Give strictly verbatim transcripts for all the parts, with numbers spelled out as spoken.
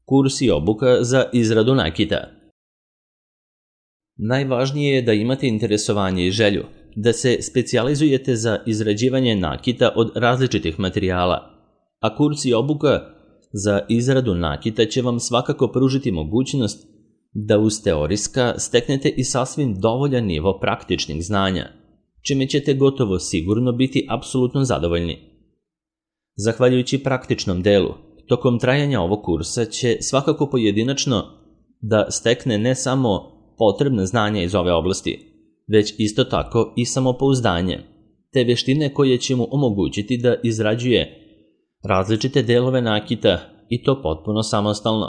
Kurs i obuka za izradu nakita. Najvažnije je da imate interesovanje i želju, da se specijalizujete za izrađivanje nakita od različitih materijala, a kurs i obuka za izradu nakita će vam svakako pružiti mogućnost da uz teorijska steknete i sasvim dovoljan nivo praktičnih znanja, čime ćete gotovo sigurno biti apsolutno zadovoljni. Zahvaljujući praktičnom delu, tokom trajanja ovog kursa će svakako pojedinačno da stekne ne samo potrebne znanja iz ove oblasti, već isto tako i samopouzdanje, te veštine koje će mu omogućiti da izrađuje različite delove nakita i to potpuno samostalno.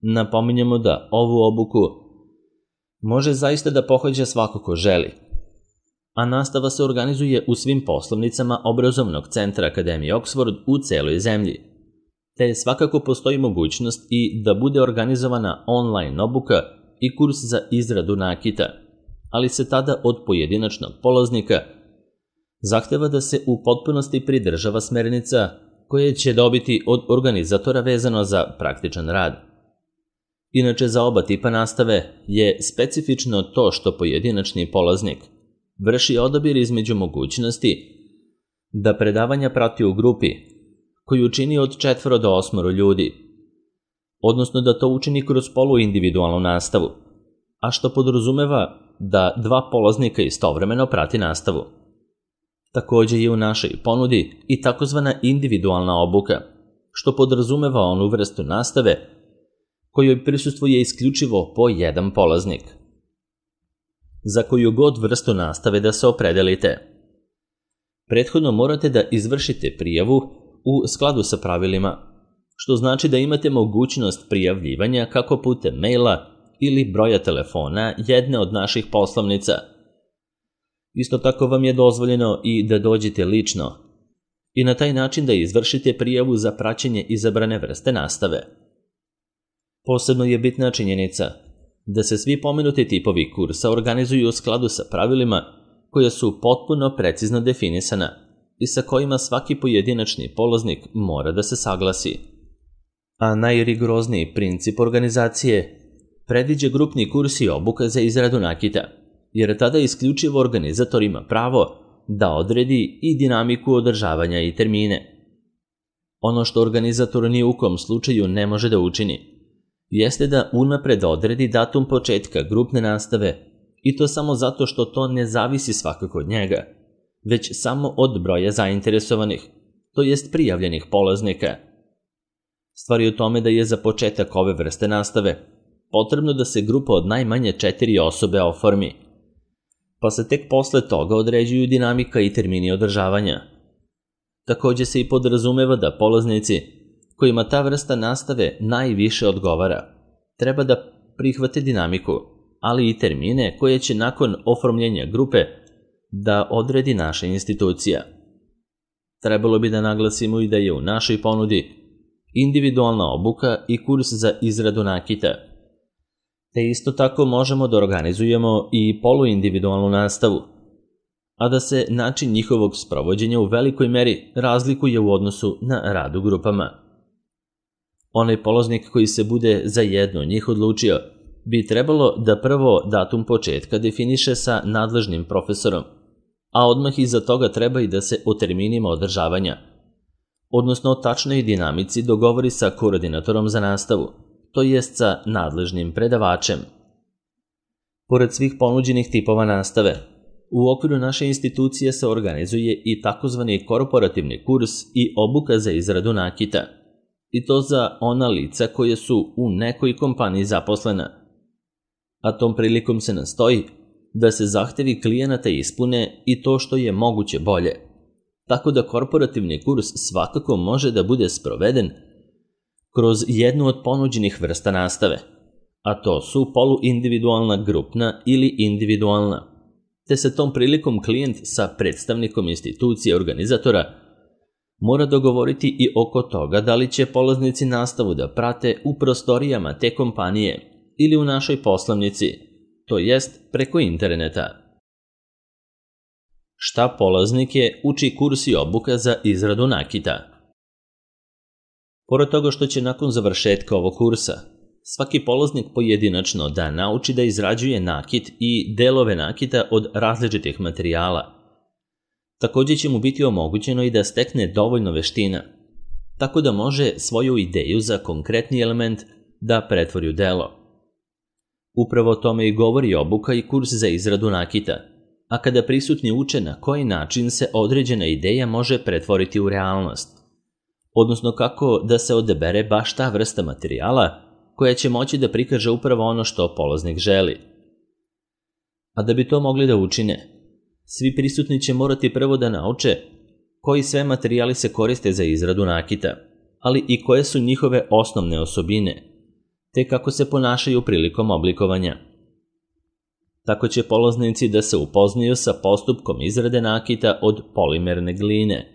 Napominjemo da ovu obuku može zaista da pohađa svako ko želi, a nastava se organizuje u svim poslovnicama obrazovnog centra Akademije Oxford u celoj zemlji, te svakako postoji mogućnost i da bude organizovana online obuka i kurs za izradu nakita, ali se tada od pojedinačnog polaznika zahteva da se u potpunosti pridržava smernica koje će dobiti od organizatora vezano za praktičan rad. Inače, za oba tipa nastave je specifično to što pojedinačni polaznik vrši odabir između mogućnosti da predavanja prati u grupi koju čini od četvoro do osmoro ljudi, odnosno da to učini kroz poluindividualnu nastavu, a što podrazumeva da dva polaznika istovremeno prati nastavu. Takođe je u našoj ponudi i takozvana individualna obuka, što podrazumeva onu vrstu nastave kojoj prisustvuje isključivo po jedan polaznik. Za koju god vrstu nastave da se opredelite, prethodno morate da izvršite prijavu u skladu sa pravilima, što znači da imate mogućnost prijavljivanja kako putem maila ili broja telefona jedne od naših poslovnica. Isto tako vam je dozvoljeno i da dođete lično i na taj način da izvršite prijavu za praćenje izabrane vrste nastave. Posebno je bitna činjenica da se svi pomenuti tipovi kursa organizuju u skladu sa pravilima koja su potpuno precizno definisana i sa kojima svaki pojedinačni polaznik mora da se saglasi. A najrigorozniji princip organizacije predviđa grupni kurs i obuka za izradu nakita, jer tada isključivo organizator ima pravo da odredi i dinamiku održavanja i termine. Ono što organizator ni u kom slučaju ne može da učini jeste da unapred odredi datum početka grupne nastave, i to samo zato što to ne zavisi svakako od njega, već samo od broja zainteresovanih, to jest prijavljenih polaznika. Stvar je u tome da je za početak ove vrste nastave potrebno da se grupa od najmanje četiri osobe oformi, pa se tek posle toga određuju dinamika i termini održavanja. Takođe se i podrazumeva da polaznici kojima ta vrsta nastave najviše odgovara treba da prihvate dinamiku, ali i termine koje će nakon oformljenja grupe da odredi naša institucija. Trebalo bi da naglasimo i da je u našoj ponudi individualna obuka i kurs za izradu nakita, te isto tako možemo da organizujemo i poluindividualnu nastavu, a da se način njihovog sprovođenja u velikoj meri razlikuje u odnosu na rad u grupama. Onaj polaznik koji se bude za jedno od njih odlučio bi trebalo da prvo datum početka definiše sa nadležnim profesorom, a odmah iza toga treba i da se o terminima održavanja, odnosno o tačnoj dinamici dogovori sa koordinatorom za nastavu, to jest sa nadležnim predavačem. Pored svih ponuđenih tipova nastave, u okviru naše institucije se organizuje i takozvani korporativni kurs i obuka za izradu nakita, i to za ona lica koje su u nekoj kompaniji zaposlena, a tom prilikom se nastoji da se zahtevi klijenata ispune i to što je moguće bolje, tako da korporativni kurs svakako može da bude sproveden kroz jednu od ponuđenih vrsta nastave, a to su poluindividualna, grupna ili individualna, te se tom prilikom klijent sa predstavnikom institucije organizatora mora dogovoriti i oko toga da li će polaznici nastavu da prate u prostorijama te kompanije ili u našoj poslovnici, to jest preko interneta. Šta polaznike uči kurs i obuka za izradu nakita? Pored toga što će nakon završetka ovog kursa svaki polaznik pojedinačno da nauči da izrađuje nakit i delove nakita od različitih materijala, takođe će mu biti omogućeno i da stekne dovoljno veština, tako da može svoju ideju za konkretni element da pretvori u delo. Upravo o tome i govori obuka i kurs za izradu nakita, a kada prisutni uče na koji način se određena ideja može pretvoriti u realnost, odnosno kako da se odabere baš ta vrsta materijala koja će moći da prikaže upravo ono što polaznik želi. A da bi to mogli da učine, svi prisutni će morati prvo da nauče koji sve materijali se koriste za izradu nakita, ali i koje su njihove osnovne osobine, te kako se ponašaju prilikom oblikovanja. Tako će polaznici da se upoznaju sa postupkom izrade nakita od polimerne gline,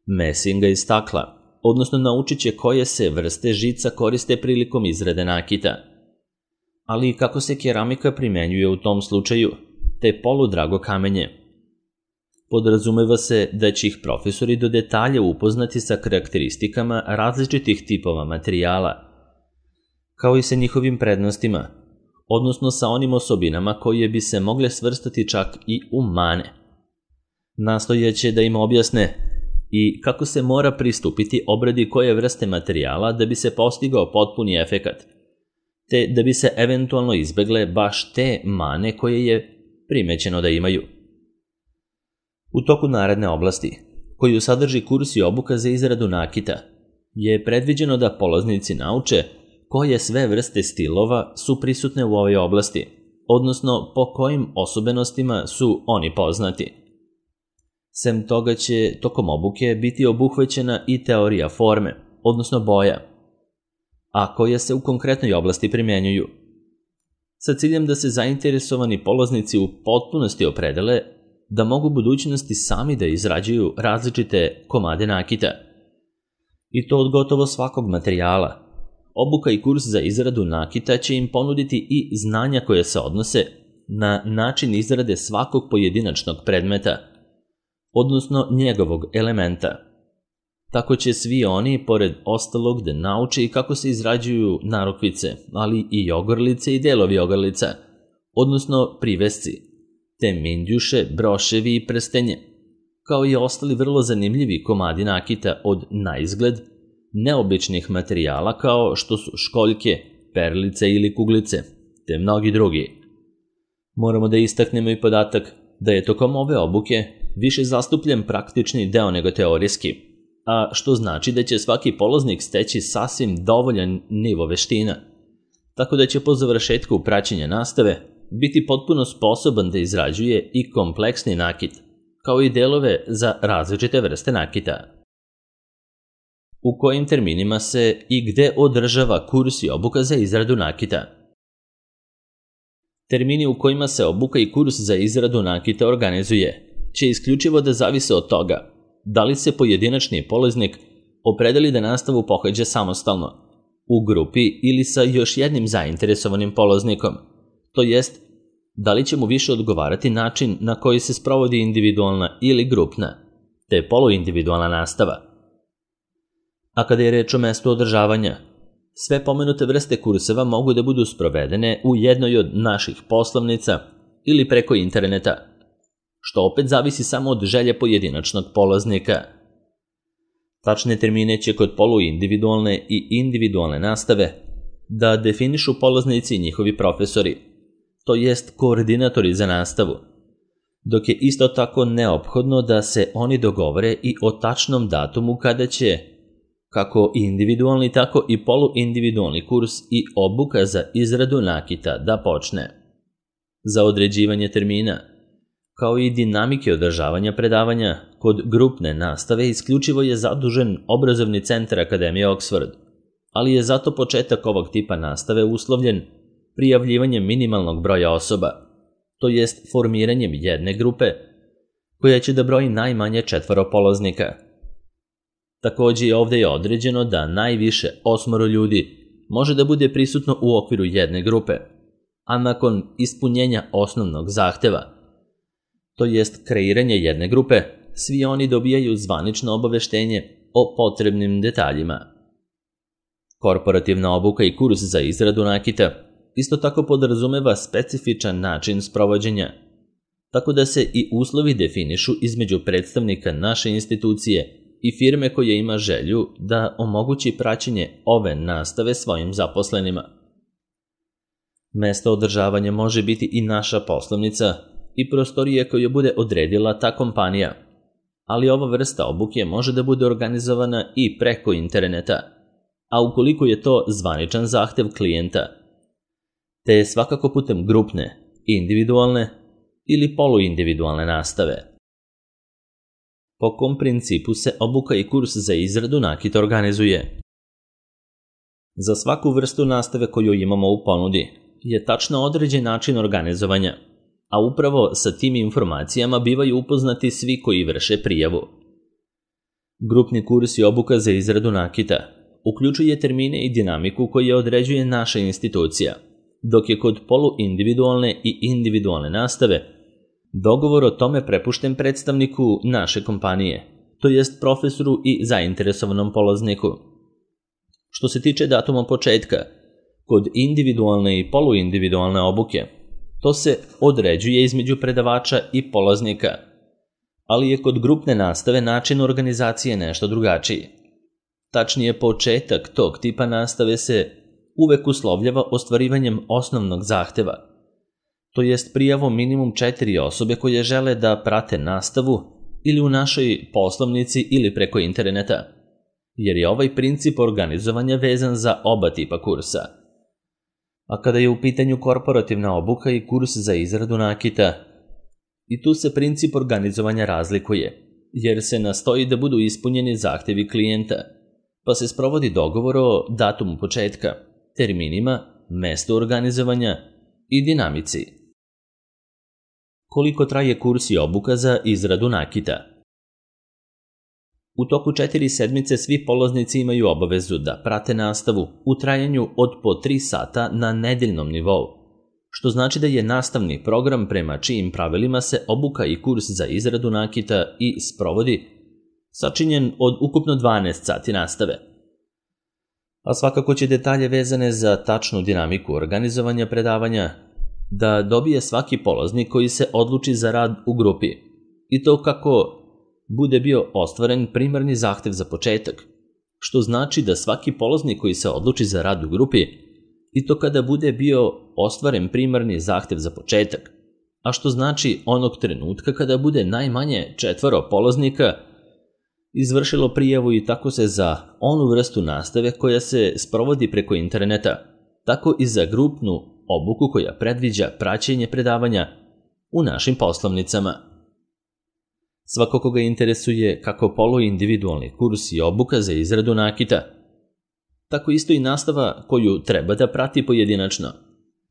mesinga i stakla, odnosno naučit će koje se vrste žica koriste prilikom izrade nakita, ali i kako se keramika primenjuje u tom slučaju, te poludrago kamenje. Podrazumeva se da će ih profesori do detalja upoznati sa karakteristikama različitih tipova materijala, kao i sa njihovim prednostima, odnosno sa onim osobinama koje bi se mogle svrstati čak i u mane. Nastojaće da im objasne i kako se mora pristupiti obradi koje vrste materijala da bi se postigao potpuni efekat, te da bi se eventualno izbegle baš te mane koje je primećeno da imaju. U toku naredne oblasti, koju sadrži kurs i obuka za izradu nakita, je predviđeno da polaznici nauče koje sve vrste stilova su prisutne u ovoj oblasti, odnosno po kojim osobenostima su oni poznati. Sem toga će tokom obuke biti obuhvaćena i teorija forme, odnosno boja, a koje se u konkretnoj oblasti primjenjuju, sa ciljem da se zainteresovani polaznici u potpunosti opredele da mogu u budućnosti sami da izrađuju različite komade nakita. I to od gotovo svakog materijala. Obuka i kurs za izradu nakita će im ponuditi i znanja koje se odnose na način izrade svakog pojedinačnog predmeta, odnosno njegovog elementa. Tako će svi oni, pored ostalog, da nauče i kako se izrađuju narukvice, ali i ogrlice i delovi ogrlica, odnosno privesci, te mindjuše, broševi i prstenje, kao i ostali vrlo zanimljivi komadi nakita od naizgled neobičnih materijala kao što su školjke, perlice ili kuglice, te mnogi drugi. Moramo da istaknemo i podatak da je tokom ove obuke više zastupljen praktični deo nego teorijski, a što znači da će svaki polaznik steći sasvim dovoljan nivo veština, tako da će po završetku praćenja nastave biti potpuno sposoban da izrađuje i kompleksni nakit, kao i delove za različite vrste nakita. U kojim terminima se i gde održava kurs i obuka za izradu nakita? Termini u kojima se obuka i kurs za izradu nakita organizuje će isključivo da zavise od toga da li se pojedinačni polaznik opredeli da nastavu pohađa samostalno, u grupi ili sa još jednim zainteresovanim polaznikom, to jest da li će mu više odgovarati način na koji se sprovodi individualna ili grupna, te poluindividualna nastava. A kada je reč o mestu održavanja, sve pomenute vrste kurseva mogu da budu sprovedene u jednoj od naših poslovnica ili preko interneta, što opet zavisi samo od želje pojedinačnog polaznika. Tačne termine će kod poluindividualne i individualne nastave da definišu polaznici i njihovi profesori, to jest koordinatori za nastavu, dok je isto tako neophodno da se oni dogovore i o tačnom datumu kada će kako individualni, tako i poluindividualni kurs i obuka za izradu nakita da počne. Za određivanje termina, kao i dinamike održavanja predavanja, kod grupne nastave isključivo je zadužen obrazovni centar Akademije Oxford, ali je zato početak ovog tipa nastave uslovljen prijavljivanjem minimalnog broja osoba, to jest formiranjem jedne grupe koja će da broji najmanje četvoro polaznika. Takođe ovde je određeno da najviše osmoro ljudi može da bude prisutno u okviru jedne grupe, a nakon ispunjenja osnovnog zahteva, to jest kreiranje jedne grupe, svi oni dobijaju zvanično obaveštenje o potrebnim detaljima. Korporativna obuka i kurs za izradu nakita isto tako podrazumeva specifičan način sprovođenja, tako da se i uslovi definišu između predstavnika naše institucije i firme koja ima želju da omogući praćenje ove nastave svojim zaposlenima. Mesto održavanja može biti i naša poslovnica i prostorije koju bude odredila ta kompanija, ali ova vrsta obuke može da bude organizovana i preko interneta, a ukoliko je to zvaničan zahtev klijenta, te svakako putem grupne, individualne ili poluindividualne nastave. Po kom principu se obuka i kurs za izradu nakita organizuje? Za svaku vrstu nastave koju imamo u ponudi je tačno određen način organizovanja, a upravo sa tim informacijama bivaju upoznati svi koji vrše prijavu. Grupni kurs i obuka za izradu nakita uključuje termine i dinamiku koje određuje naša institucija, dok je kod poluindividualne i individualne nastave dogovor o tome prepušten predstavniku naše kompanije, to jest profesoru i zainteresovanom polazniku. Što se tiče datuma početka, kod individualne i poluindividualne obuke, to se određuje između predavača i polaznika, ali je kod grupne nastave način organizacije nešto drugačiji. Tačnije, početak tog tipa nastave se uvek uslovljava ostvarivanjem osnovnog zahteva, to jest prijavom minimum četiri osobe koje žele da prate nastavu ili u našoj poslovnici ili preko interneta, jer je ovaj princip organizovanja vezan za oba tipa kursa. A kada je u pitanju korporativna obuka i kurs za izradu nakita, i tu se princip organizovanja razlikuje, jer se nastoji da budu ispunjeni zahtevi klijenta, pa se sprovodi dogovor o datumu početka, terminima, mestu organizovanja i dinamici. Koliko traje kurs i obuka za izradu nakita? U toku četiri sedmice svi polaznici imaju obavezu da prate nastavu u trajanju od po tri sata na nedeljnom nivou, što znači da je nastavni program prema čijim pravilima se obuka i kurs za izradu nakita i sprovodi sačinjen od ukupno dvanaest sati nastave. A svakako će detalje vezane za tačnu dinamiku organizovanja predavanja da dobije svaki polaznik koji se odluči za rad u grupi, i to kako bude bio ostvaren primarni zahtev za početak, što znači da svaki polaznik koji se odluči za rad u grupi, i to kada bude bio ostvaren primarni zahtev za početak, a što znači onog trenutka kada bude najmanje četvoro polaznika izvršilo prijavu i tako se za onu vrstu nastave koja se sprovodi preko interneta, tako i za grupnu obuku koja predviđa praćenje predavanja u našim poslovnicama. Svako koga interesuje kako poluindividualni kurs i obuka za izradu nakita, tako isto i nastava koju treba da prati pojedinačno,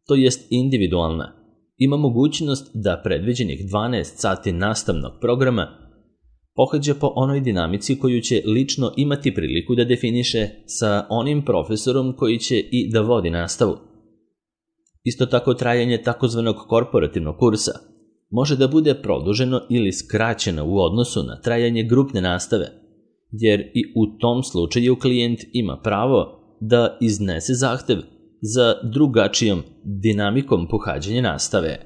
to jest individualna, ima mogućnost da predviđenih dvanaest sati nastavnog programa pohađa po onoj dinamici koju će lično imati priliku da definiše sa onim profesorom koji će i da vodi nastavu. Isto tako, trajanje takozvanog korporativnog kursa može da bude produženo ili skraćeno u odnosu na trajanje grupne nastave, jer i u tom slučaju klijent ima pravo da iznese zahtev za drugačijom dinamikom pohađanja nastave.